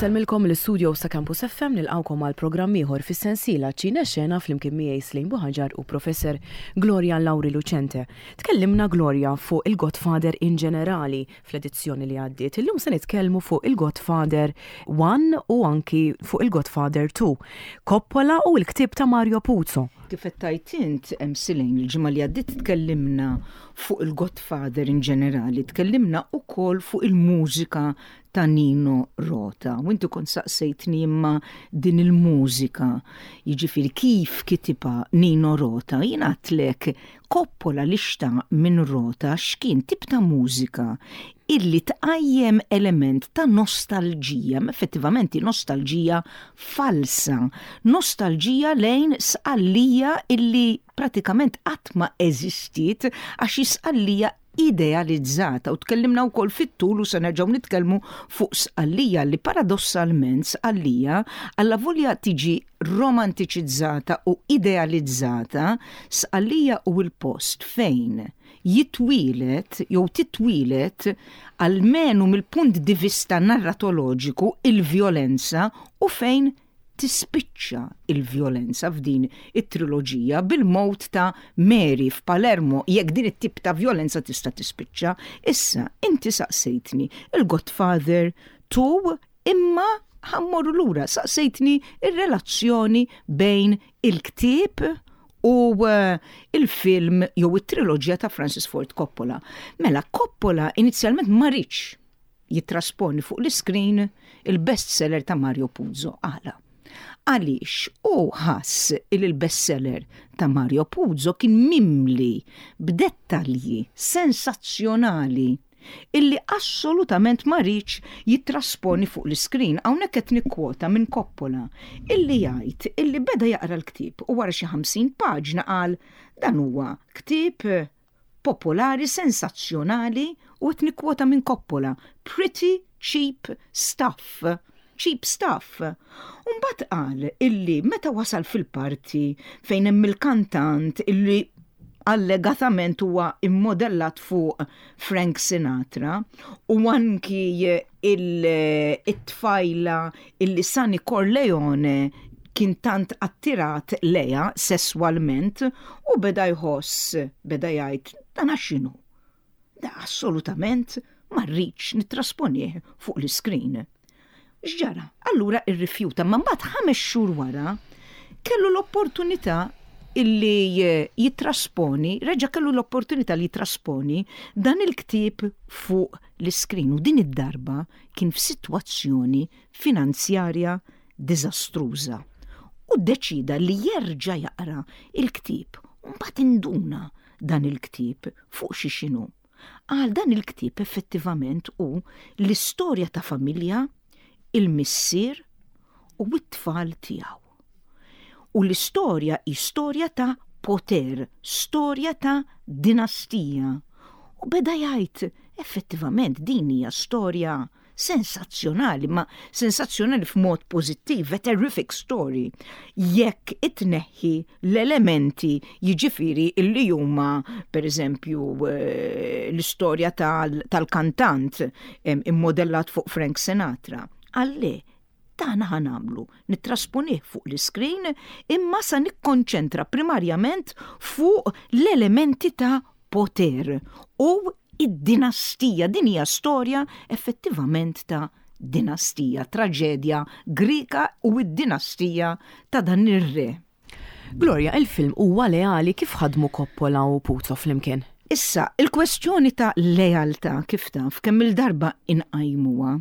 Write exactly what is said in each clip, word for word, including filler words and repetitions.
Insellmilkom l-istudio sa' Campus F M, nilqgħukom għal programm ieħor fis-sensiela Ċine Xena flimkien miegħi Slim Buħaġar u Professor Gloria Lauri Lucente. Tkellimna, Gloria, fuq il-Godfather in ġenerali fl-edizzjoni li għaddiet. Illum se nitkellmu fuq il-Godfather one u anki fuq il-Godfather two. Coppola u l-ktieb ta' Mario Puzo. Kif qed int hemm Silejn, il-ġimgħa li għaddiet tkellimna fuq il-Godfather in ġenerali, tkellimna ukoll fuq il-mużika ta' Nino Rota. U inti kont saqsejtni imma din il-mużika, jiġifieri kif kitibha Nino Rota, jien għedtlek Coppola li xtaq minn Rota x'kien tip ta' mużika illi tqajjem element ta' nostalġija, ma effettivament nostalġija falsa, nostalġija lejn Sqallija illi pratikament qatt ma eżistiet għax Sqallija idealizzata, u tkellimna wkoll fit-tul u se nerġgħu nitkellmu fuq Sqallija li paradossalment Sqallija allavolja tiġi romantiċizzata u idealizzata, Sqallija u l-post fejn jitwieled jew titwieled, almenu mill-punt di vista narratoloġiku, il-vjolenza u fejn tispiċċa il-vjolenza f'din it-triloġija bil-mewt ta' Mary f'Palermo, jekk din it-tip ta' vjolenza tista' tispiċċa. Issa, inti saqsejtni il-Godfather two, imma ħa mmorru lura, saqsejtni il-relazzjoni bejn il-ktieb u eh, il-film jew it-triloġija ta' Francis Ford Coppola. Mela, Coppola inizjalment ma riedx jittrasponi fuq l-iskrin il-bestseller ta' Mario Puzo. Għala? Għaliex u ħass il-bestseller ta' Mario Puzo kien mimli b'dettalji sensazzjonali illi assolutament ma riedx jittrasponi fuq l-iskrin. Hawnhekk qed nikkwota minn Coppola illi jgħid illi beda jaqra l-ktieb u wara xi ħamsin paġna qal: "Dan huwa ktieb popolari sensazzjonali", u qed nikkwota minn Coppola, "pretty cheap stuff, cheap stuff." Umbagħad qal illi meta wasal fil-parti fejn hemm il-kantant illi allegatament huwa immodellat fuq Frank Sinatra u anki il-tfajla illi Sonny Corleone kien tant attirat lejha sesswalment, u beda jħoss, beda jgħid: "Dan x'inhu? Da assolutament ma rridx nittrasponih fuq l-iskrin." X'ġara? Allura irrifjuta, ma mbagħad ħames xhur wara kellu l-opportunità illi jitrasponi, reġa' kellu l-opportunità li jitrasponi dan il-ktieb fuq l-iskrin u din id-darba kien f'sitwazzjoni finanzjarja diżastruża. U deċida li jerġa' jaqra il-ktieb u mbagħad induna dan il-ktieb fuq xi xinu. Għal dan il-ktieb effettivament hu l-istorja ta' familja, il-missier u t-tfal tiegħu. U l-istorja hi storja ta' poter, storja ta' dinastija. U beda jgħid, effettivament din hija storja sensazzjonali, ma sensazzjonali f'mod pożittiv, a terrific story. Jekk itneħħi l-elementi, jiġifieri illi huma, per eżempju, eh, l-istorja tal-kantant immodellat fuq Frank Sinatra. Għalli, dan ħa nagħmlu, nittrasponih fuq l-iskrin, imma sa nikkonċentra primarjament fuq l-elementi ta' poter u id-dinastija. Din hija storja effettivament ta' dinastija, traġedja Grika u id-dinastija ta' dan ir-re. Gloria, il-film huwa leali? Kif ħadmu Coppola u Puzo flimkien? Issa, il-kwestjoni ta' lealtà, kif taf, kemm il-darba inqajmuha,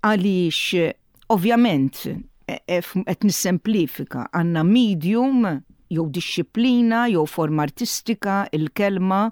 għaliex ovvjament qed nissemplifika, għandna medium jew dixxiplina jew forma artistika, il-kelma,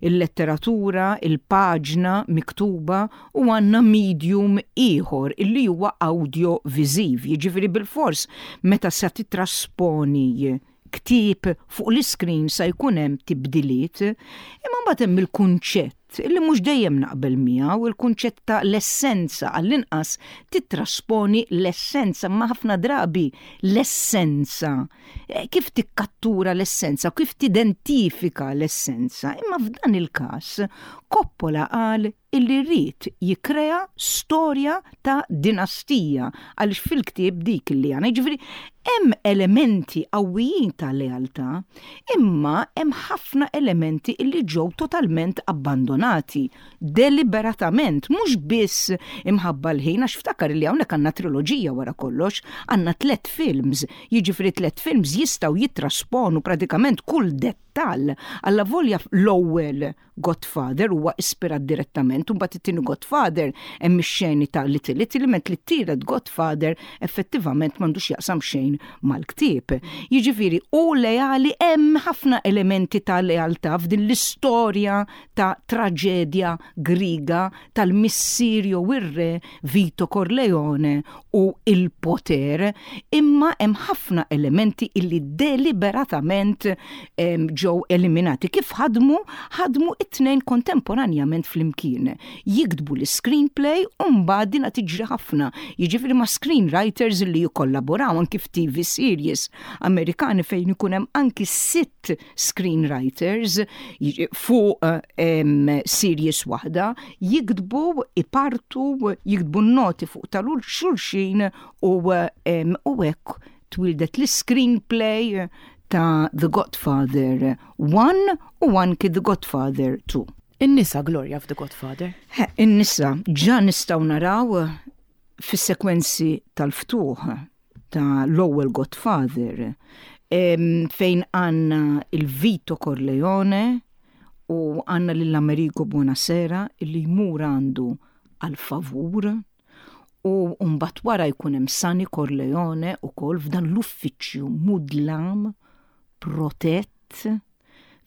il-letteratura, il-paġna miktuba, u għandna medium ieħor illi huwa audio-viżiv. Jiġifieri bil-fors meta se titrasponi ktieb fuq l-iskrin sa jkun hemm tibdiliet, imma mbagħad hemm il-kunċett illi mhux dejjem naqbel miegħu, il-kunċett ta' l-essenza, għall-inqas titrasponi l-essenza, ma ħafna drabi l-essenza. Eh, kif tikkattura l-essenza, kif tidentifika l-essenza? Imma f'dan il-każ Coppola qal Illi rrid jikrea storja ta' dinastija, għaliex fil-ktieb dik li għandna. Ġifieri, hemm elementi qawwijin ta' lealtà, imma hemm ħafna elementi illi ġew totalment abbandonati, deliberatament, mhux biss imħabba l-ħin, għax ftakar li hawnhekk għandna triloġija wara kollox, għandna tlet films, jiġifieri tlet films jistgħu jitrasponu pratikament kull dettal. Alla volja l-ewwel Godfather huwa ispirat direttament, u mbagħad it-tieni Godfather hemm ix-xeni ta' Little Italy, mentri t-tielet Godfather effettivament m'għandux jaqsam xejn mal-ktieb. Jiġifieri u leali, hemm ħafna elementi ta' lealtà f'din l-istorja ta' traġedja griga tal-missier jew ir-re Vito Corleone u il-poter, imma hemm ħafna elementi illi deliberatament ġew eliminati. Kif ħadmu? Ħadmu it-tnejn kontemporanjament flimkien. Jiktbu l-screenplay u mbagħad dina tiġri ħafna. Jiġifieri ma' screenwriters li jikkollaboraw anki f'T V series Amerikani fejn ikun hemm anki sitt screenwriters fuq um, series waħda, jiktbu, ipartu, jiktbu noti fuq tal-xulxin u um, u hekk twildet l-screenplay ta' The Godfather one u anki The Godfather two. In-nisa, Gloria, f'The Godfather? In-nisa ġa nistgħu naraw fis-sekwenzi tal-ftuħ ta' l-ewwel Godfather, fejn għandna il-Vito Corleone u għandna lill-Amerigo Bonasera illi jmur għandu għal favur u mbagħad wara jkun hemm Sonny Corleone ukoll f'dan l-uffiċċju mudlam protett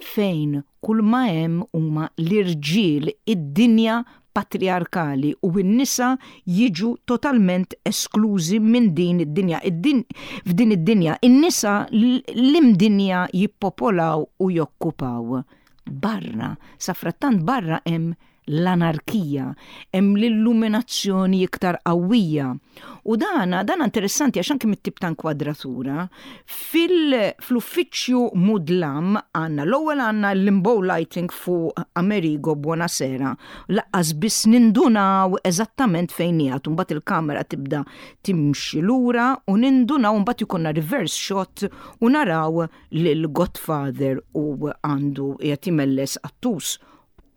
fejn kull ma hemm huma l-irġiel, id-dinja patriarkali, u n-nisa jiġu totalment esklużi minn din id-dinja. F'din id-dinja, in-nisa l-imdinja jippopolaw u jokkupaw. Barra, safrattant barra hemm l-anarkija, hemm l-illuminazzjoni iktar qawwija. U dana, dana interessanti għax anke mit-tip ta' inkwadratura, fil-uffiċċju mudlam għandna l-ewwel għandna l-limbo lighting fuq Amerigo Bonasera. Lanqas biss nindunaw eżattament fejn qiegħed, mbagħad il-kamera tibda timxi lura u nindunaw, mbagħad ikollna reverse shot u naraw lil Godfather u għandu qiegħed imelles qattus,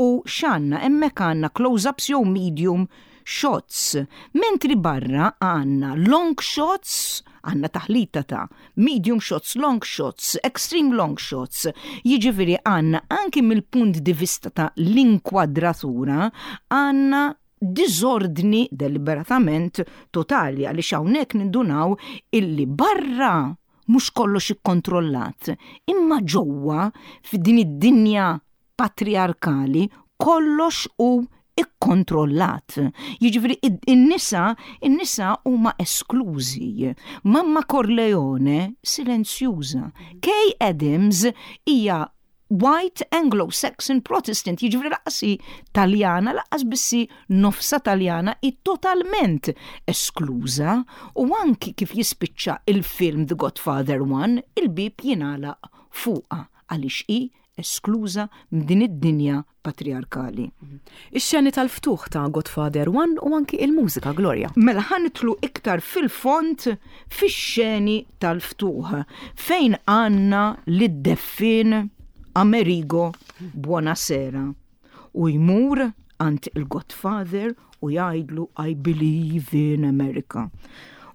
u x'għandna hemmhekk? Għandna close-ups jew medium shots. Mentri barra għandna long shots, għandna taħlita ta' medium shots, long shots, extreme long shots. Jiġifieri għandna anki mill-punt di vista ta' l-inkwadratura għandna disordni deliberatament totali, għaliex hawnhekk nindunaw illi barra mhux kollox ikkontrollat, imma ġewwa f'din id-dinja patriarkali kollox hu ikkontrollat. Jiġifieri in-nisa, in-nisa huma esklużi. Mamma Corleone silenzjuża. Kay Adams hija White Anglo-Saxon Protestant, jiġifieri lanqas hi Taljana, lanqas biss hi nofsa Taljana, i totalment eskluża, u anki kif jispiċċa il-film The Godfather one, il-bib jingħalaq fuqha għaliex hi eskluża minn din id-dinja patriarkali. Ix-xeni tal-ftuħ ta' Godfather one u anki il-mużika, Gloria. Mela ħa nidħlu iktar fil-fond fix-xeni tal-ftuħ fejn għandna lid-deffin Amerigo Bonasera u jmur għand il-Godfather u jgħidlu: "I believe in America."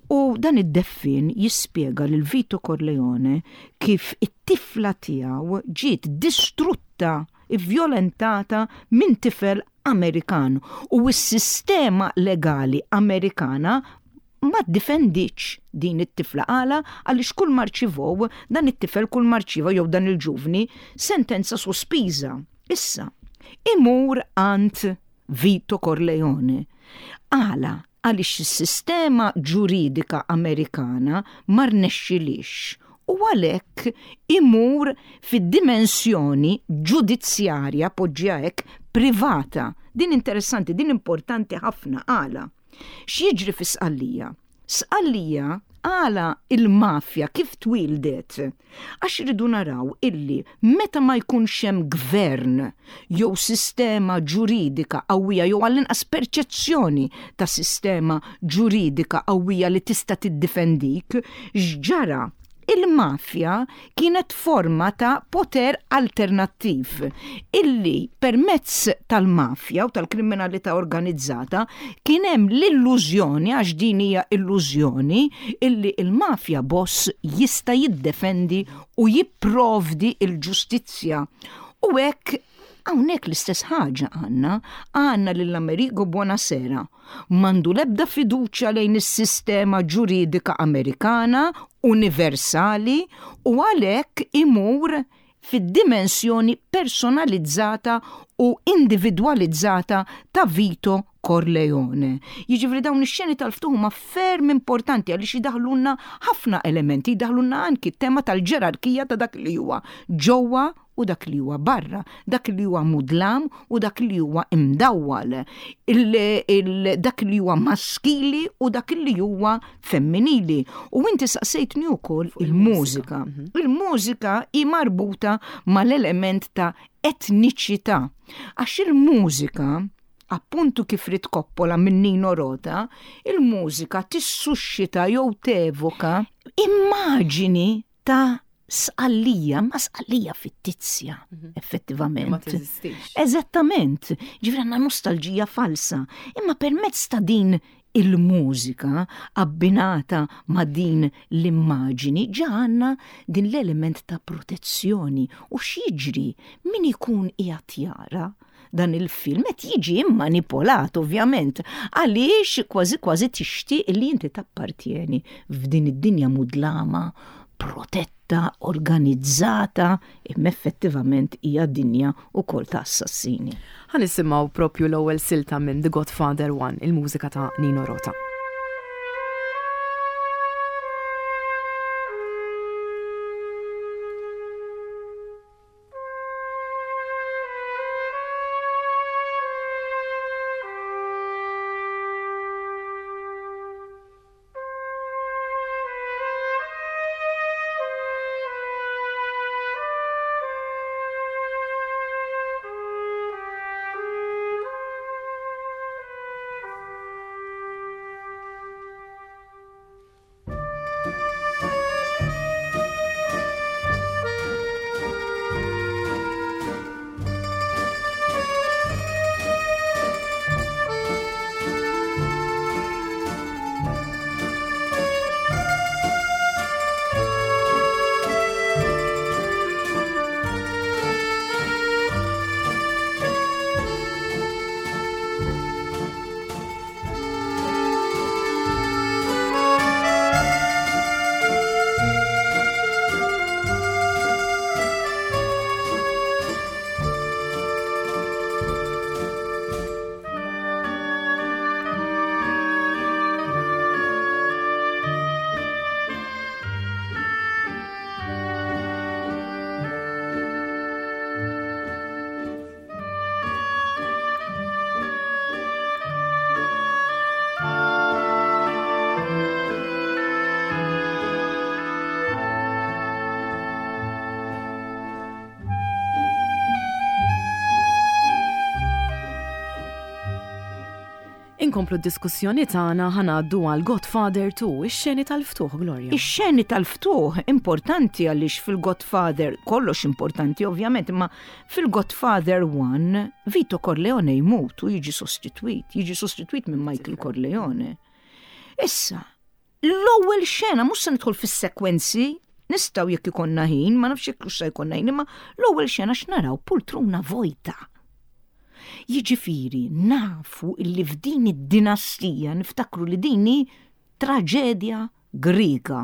U dan id-deffin jispjega lil Vito Corleone kif it-tifla tiegħu ġiet distrutta, vjolentata minn tifel Amerikan u s-sistema legali Amerikana ma ddefendietx din it-tifla. Għala? Għaliex kull ma rċivew dan it-tifel, kull ma rċieva jew dan il-ġuvni, sentenza sospiża. Issa, imur għand Vito Corleone. Għala? Għaliex is-sistema ġuridika Amerikana ma rnexxilix u għalhekk imur fid-dimensjoni ġudizzjarja, poġġiha hekk, privata. Din interessanti, din importanti ħafna. Għala? X'jiġri fi Sqallija? Sqallija Għala il-mafja kif twildet? Għax irridu naraw illi meta ma jkunx hemm gvern jew sistema ġuridika qawwija jew għall-inqas perċezzjoni ta' sistema ġuridika qawwija li tista' tiddifendik, x'ġara? Il-mafja kienet forma ta' poter alternattiv illi permezz tal-mafja u tal-kriminalità organizzata kien hemm l-illużjoni, għax din hija illużjoni, illi il-mafja boss jista' jiddefendi u jipprovdi il-ġustizzja. U hekk hawnhekk l-istess ħaġa għandna, għandna lil Amerigo Bonasera. M'għandu l-ebda fiduċja lejn is-sistema ġuridika Amerikana universali u għalhekk imur fid-dimensjoni personalizzata u individualizzata ta' Vito Corleone. Jiġifieri dawn ix-xeni tal-ftuħ huma ferm importanti għaliex jidaħlulna ħafna elementi, jidaħlulna anki t-tema tal-ġerarkija ta' dak li huwa ġewwa u dak li huwa barra, dak li huwa mudlam u dak li huwa imdawwal, il, il, dak li huwa maskili u dak li huwa femminili. U inti saqsejtni wkoll il-mużika. Il-mużika hi marbuta mal-element ta' etniċità. Għax il-mużika, appuntu kif ried Coppola minn Nino Rota, il-mużika tissuscita jew tevoka immaġini ta' Sqallija, ma Sqallija fittizja, effettivament. Ma teżistix. Eżattament, ġifieri għandna nostalġija falsa, imma permezz ta' din il-mużika abbinata ma' din l-immaġini ġa għandna din l-element ta' protezzjoni. U x'jiġri min ikun qiegħed jara dan il-film qed jiġi immanipolat ovvjament, għaliex kważi kważi tixtieq li inti tappartieni f'din id-dinja mudlama, protetta, organizzata, imma effettivament hija dinja wkoll ta' assassini. Ħa nisimgħu propju l-ewwel silta minn The Godfather one, il-mużika ta' Nino Rota. Inkomplu d-diskussjoni tagħna, ħa ngħaddu għal Godfather two, ix-xeni tal-ftuħ, Gloria. Ix-xeni tal-ftuħ importanti għaliex fil-Godfather, kollox importanti ovvjament, imma fil-Godfather one Vito Corleone jmut u jiġi sostitwit, jiġi sostitwit minn Michael Corleone. Issa, l-ewwel xena, mhux se nidħol fis-sekwenzi, nistgħu jekk ikollna ħin, ma nafx jekk se jkollna ħin, imma l-ewwel xena x'naraw pultruna vojta. Jiġifieri nafu illi f'din id-dinastija, niftakru li din hi traġedja Griega,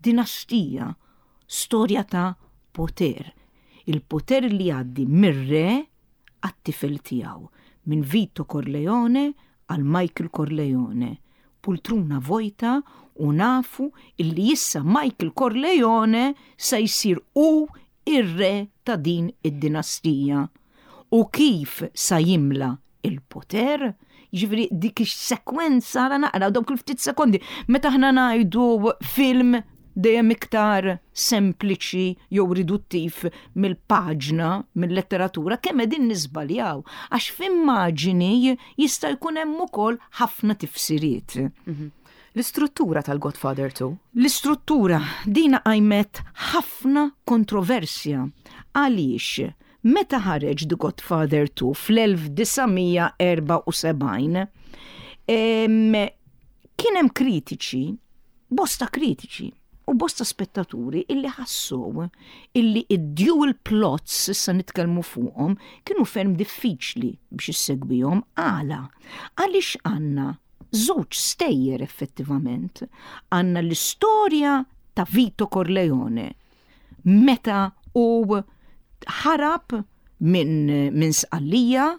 dinastija, storja ta' poter. Il-poter li jgħaddi mir-re għat-tifel tiegħu, minn Vito Corleone għal Michael Corleone. Pultruna vojta u nafu illi issa Michael Corleone se jsir hu ir-re ta' din id-dinastija. U kif sa jimla il-poter, Ġifieri dik is-sekwenza ra naqra dawk il-ftit sekondi. Meta aħna ngħidu film dejjem iktar sempliċi jew riduttiv mill-paġna, mill-letteratura, kemm qegħdin niżbaljaw, għax f'immaġini jista' jkun hemm ukoll ħafna tifsiriet. Mhm. L-istruttura tal-Godfather two? L-istruttura dina qajmet ħafna kontroversja. Għaliex meta ħareġ The Godfather two fl-elf disa' mija erbgħa u sebgħin, kien hemm kritiċi, bosta kritiċi, u bosta spettaturi illi ħassu illi id-dual plots, issa nitkellmu fuqhom, kienu ferm diffiċli biex issegwihom. Għala? Għaliex għandna żewġ stejjer effettivament. Għandna l-istorja ta' Vito Corleone meta u ħarab minn min Sqallija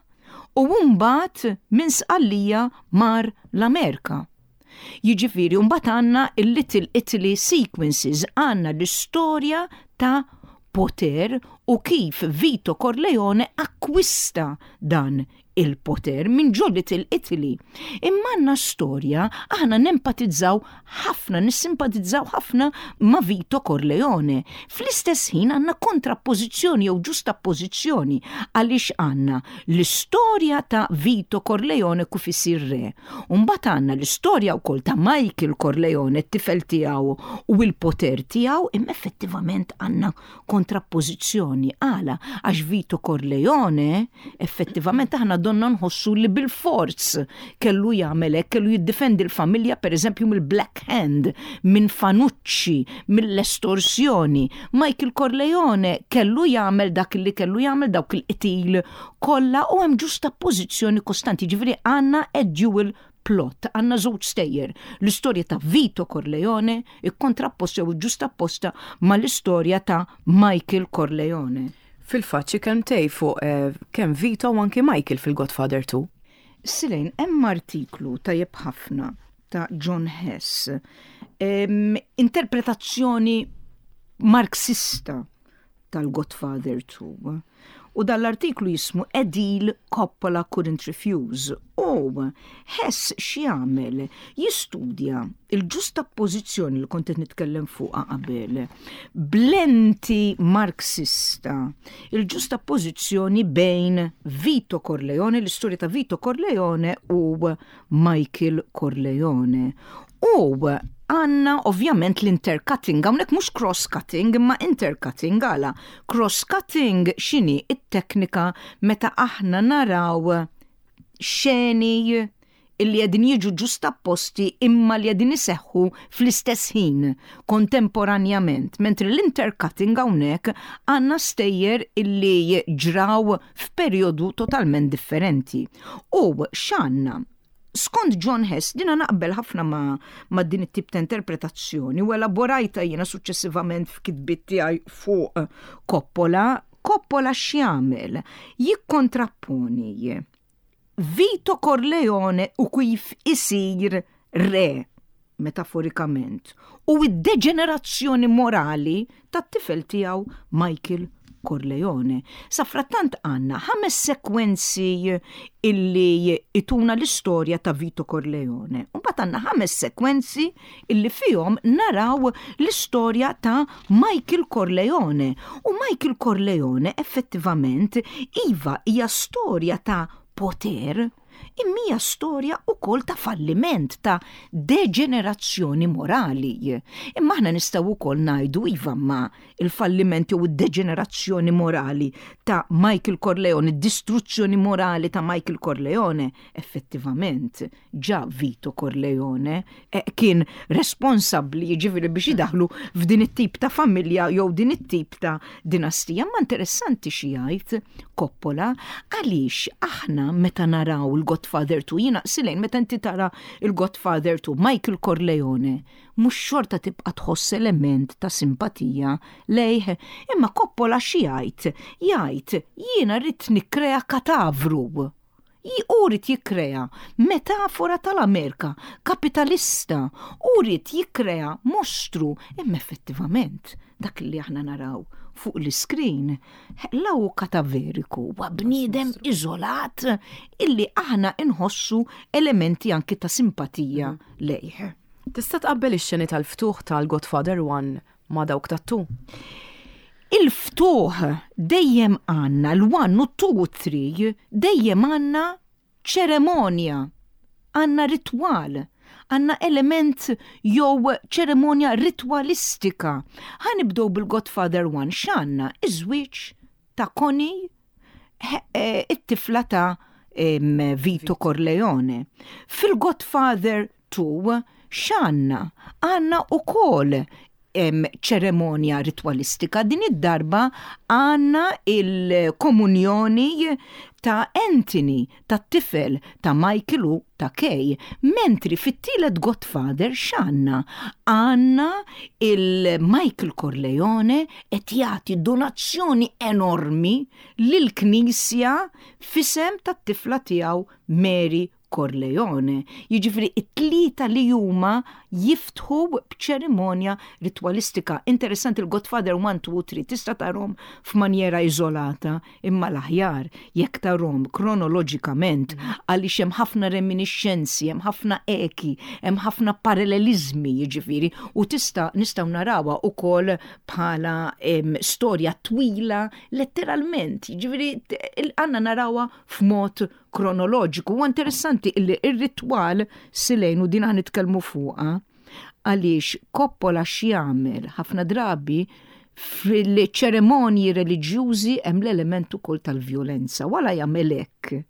u mbagħad minn Sqallija mar l-Amerika. Jiġifieri mbagħad għandna il-Little Italy sequences, għandna l-istorja ta' poter u kif Vito Corleone akkwista dan il-poter minn ġo Little Italy. Imma għandna storja, aħna nempatizzaw ħafna, nissimpatizzaw ħafna ma' Vito Corleone. Fl-istess ħin għandna kontrappożizzjoni jew ġustappożizzjoni, għaliex għandna l-istorja ta' Vito Corleone kif isir re. Mbagħad għandna l-istorja wkoll ta' Michael Corleone, t-tifel tiegħu u l-poter tiegħu, imma effettivament għandna kontrappożizzjoni. Għala? Għax Vito Corleone effettivament aħna donna nħossu li bil-forz kellu jagħmel hekk, kellu jiddefendi l-familja, pereżempju, mill-Black Hand, minn Fanucci, mill-estorsjoni. Michael Corleone kellu jagħmel dak li kellu jagħmel, dawk il-qtil kollha, u hemm ġustappożizzjoni kostanti, ġifieri għandna a dual plot, għandna żewġ stejjer. L-istorja ta' Vito Corleone ikkontrapposta jew ġustapposta ma' l-istorja ta' Michael Corleone. Fil-fatt xi kelmtejn fuq eh, kemm Vito u anki Michael fil-Godfather two. Silejn, hemm artiklu tajjeb ħafna ta' John Hess, em, interpretazzjoni marxista tal-Godfather two. U dal-artiklu jismu "A Deal Coppola Couldn't Refuse". U Hess x'jagħmel? Jistudja il-ġustappożizzjoni li kont qed nitkellem fuqha qabel. B'lenti marxista, il-ġustappożizzjoni bejn Vito Corleone, l-istorja ta' Vito Corleone u Michael Corleone. U għandna ovvjament l-intercutting, hawnhekk mhux cross-cutting, imma intercutting. Għala? Cross-cutting x'inhi? It-teknika meta aħna naraw xeni illi qegħdin jiġu ġustapposti imma li qegħdin iseħħu fl-istess ħin, kontemporanjament, mentri l-intercutting hawnhekk għandna stejjer illi ġraw f'perjodu totalment differenti. U x'għandna? Skont John Hess, dina naqbel ħafna ma, ma din it-tip ta' interpretazzjoni u elaborajta jiena suċċessivament f'kitbiet tiegħi fuq Coppola. Coppola x'jagħmel? Jikkontrapponi Vito Corleone u kif isir re, metaforikament, u id-deġenerazzjoni morali tat-tifel tiegħu Michael Corleone. Safrattant għandna ħames sekwenzi illi ituna l-istorja ta' Vito Corleone. Mbagħad għandna ħames sekwenzi illi fihom naraw l-istorja ta' Michael Corleone. U Michael Corleone effettivament, iva, hija storja ta' poter, imma hija storja wkoll ta' falliment, ta' deġenerazzjoni morali. Imma aħna nistgħu wkoll ngħidu, iva, ma il-falliment jew id-deġenerazzjoni morali ta' Michael Corleone, id-distruzzjoni morali ta' Michael Corleone, effettivament ġa Vito Corleone eh, kien responsabbli, jiġifieri biex idaħlu f'din it-tip ta' familja jew din it-tip ta' dinastija. Ma interessanti xi jgħid Coppola, għaliex aħna meta naraw il-Godfather two, jiena Silejn, meta inti tara il-Godfather two, Michael Corleone, mhux xorta tibqa' tħoss element ta' simpatija lejh, imma Coppola xi jgħid? Jgħid, "Jiena rrid nikkrea katavru." Hu ried jikkrea metafora tal-Amerika kapitalista, u ried jikkrea mostru, imma effettivament dak li aħna naraw fuq l-screen la hu kataveriku, huwa bniedem iżolat illi aħna inħossu elementi anki ta' simpatija lejh. Tista' tqabbel ix-xeni tal-ftuħ tal-Godfather one ma' dawk tat-two? Il-ftuħ dejjem għandna l-one u two u three, dejjem għandna ċeremonja, għandna ritwal, għandna element jew ċeremonja ritwalistika. Ħa nibdew bil-Godfather one, x'għandna? Iż-żwieġ ta' Connie, eh, it-tifla ta' Vito Corleone. Fil-Godfather two, x'għandna? Għandna ukoll ċeremonja ritwalistika. Din id-darba għandna il-komunjoni ta' Anthony, ta' tifel ta' Michael u ta' Kay. Mentri fit-tielet Godfather x'għandna? Għandna il-Michael Corleone qed jagħti donazzjoni enormi lill-Knisja f'isem tat-tifla tiegħu Mary Corleone. Jiġifieri it-tlieta li huma jiftħu b'ċerimonja ritwalistika. Interessanti, il-Godfather one, two, three tista' tarahom f'manjera iżolata, imma l-aħjar jekk tarahom kronoloġikament, għaliex hemm ħafna reminiscenzi, hemm ħafna eki, hemm ħafna parallelizmi, jiġifieri, u tista' nistgħu narawha ukoll bħala storja twila letteralment, jiġifieri għandna narawha f'mod kronoloġiku. U interessanti illi ir-ritwal silejn u din ħa nitkellmu fuqha, għaliex Coppola x'jagħmel ħafna drabi fil-ċeremonji reliġjużi hemm l-element ukoll tal-vjolenza. Wala jagħmel hekk.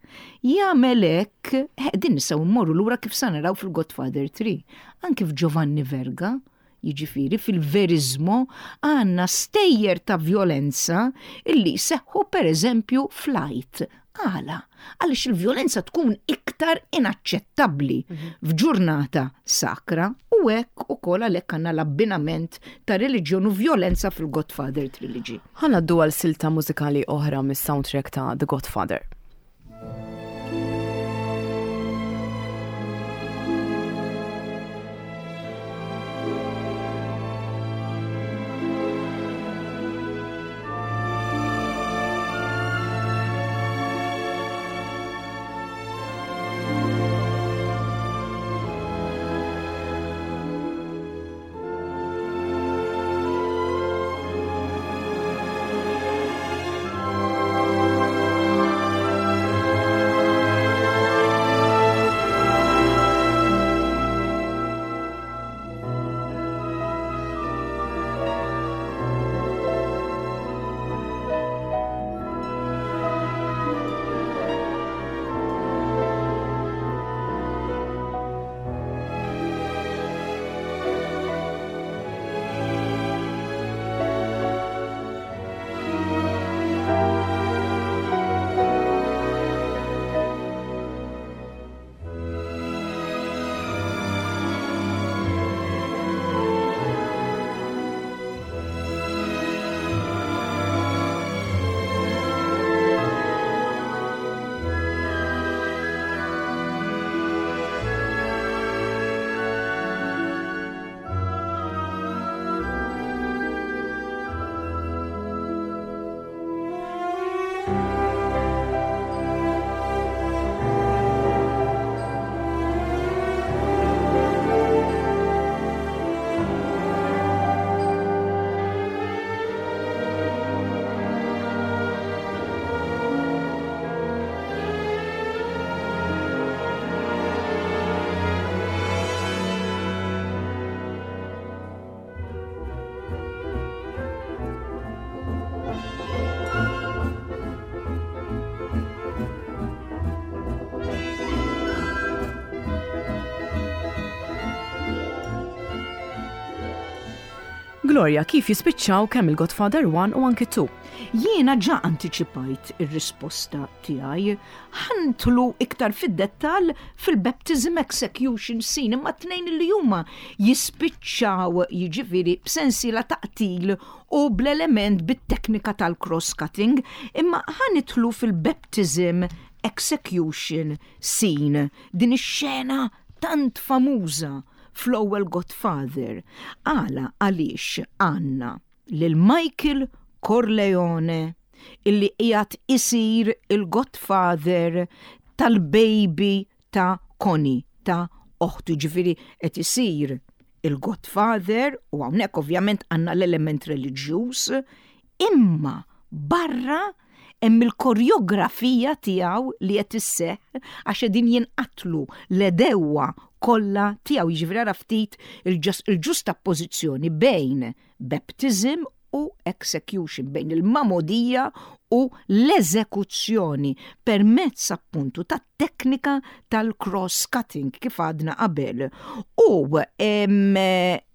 Jagħmel hekk, eh, din nistgħu mmorru lura kif sa naraw fil-Godfather three. Anki f'Giovanni Verga, jiġifieri fil-verizmo, għandna stejjer ta' vjolenza illi seħħu per eżempju flight. Għala, għaliex il-vjolenza tkun iktar inaċċettabbli f'ġurnata sakra, u hekk ukoll għalhekk għandna l-abbinament ta' reliġjon u vjolenza fil-Godfather Trilogy. Ħa ngħaddu għal silta mużikali oħra mis-soundtrack ta' The Godfather. Gloria, kif jispiċċaw kemm il-Godfather one u anki two? Jiena ġa anticipajt ir-risposta tiegħi. Ħa nidħlu iktar fid-dettall fil-baptism execution scene, imma tnejn li huma jispiċċaw jiġifieri b'sensiela ta' qtil u bl-element bit-teknika tal-cross-cutting, imma ħa nidħlu fil-baptism Execution scene, din ix-xena tant famuża fl-ewwel Godfather. Għala? Għaliex għandna lil Michael Corleone illi qiegħed isir il-Godfather tal-baby ta' Connie, ta' oħtu, ġifieri qed isir il-Godfather u hawnhekk ovvjament għandna l-element reliġjuż, imma barra hemm il-koreografija tiegħu li qed isseħħ għax qegħdin jinqatlu l-għedewwa kollha tiegħu. Jiġifieri ara ftit il-ġustappożizzjoni bejn baptism u execution, bejn il-magħmudija u l-eżekuzzjoni permezz appuntu ta' teknika tal-cross-cutting kif għadna qabel. U em,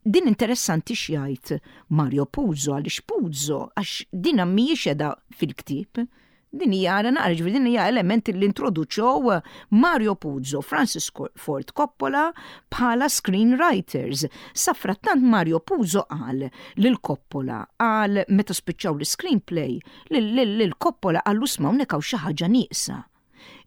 din interessanti x'jgħid Mario Puzo, għaliex Puzo, għax din mhijiex qiegħda fil-ktieb. Din hija, ara naqra, ġifieri din hija element li introduċew Mario Puzo, Francis Ford Coppola bħala screenwriters. Safrattant Mario Puzo qal lil Coppola, qal meta spiċċaw l-screenplay, lil Coppola qallu: "Isma', hawnhekk hawn xi ħaġa nieqsa.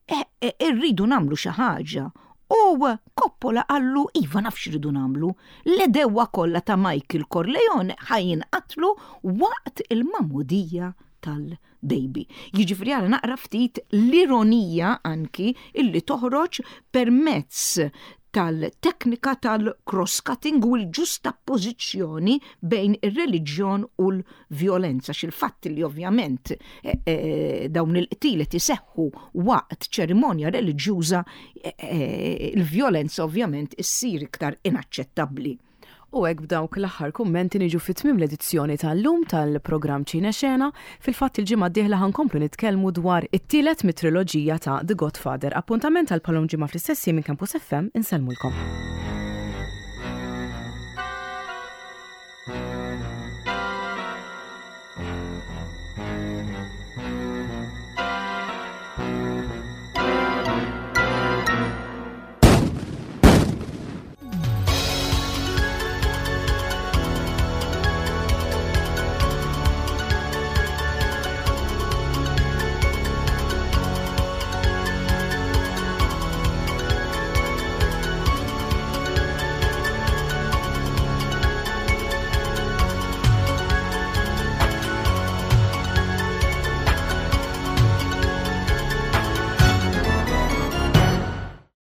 E, e, irridu nagħmlu xi ħaġa." U Coppola qallu: "Iva, naf x'irridu nagħmlu. L-għedewwa kollha ta' Michael Corleone ħa jinqatlu waqt il-magħmudija tal-baby." Jiġifieri ara naqra ftit l-ironija anki illi toħroġ permezz tal-teknika tal-cross-cutting u l-ġustappożizzjoni bejn ir-reliġjon u l-vjolenza. Xil-fatt li ovvjament eh, eh, dawn il-qtil iseħħu waqt ċerimonja reliġjuża, eh, il-vjolenza ovvjament issir iktar inaċċettabbli. U hekk b'dawk l-aħħar kummenti niġu fi tmiem l-edizzjoni tal-lum tal-programm Ċine Xena. Fil-fatt il-ġimgħa d-dieħla ħa nkomplu nitkellmu dwar it-tielet mit-triloġija ta' The Godfather. Appuntament għal bħal-lum ġimgħa fl-istess minn Campus F M, insellmulkom.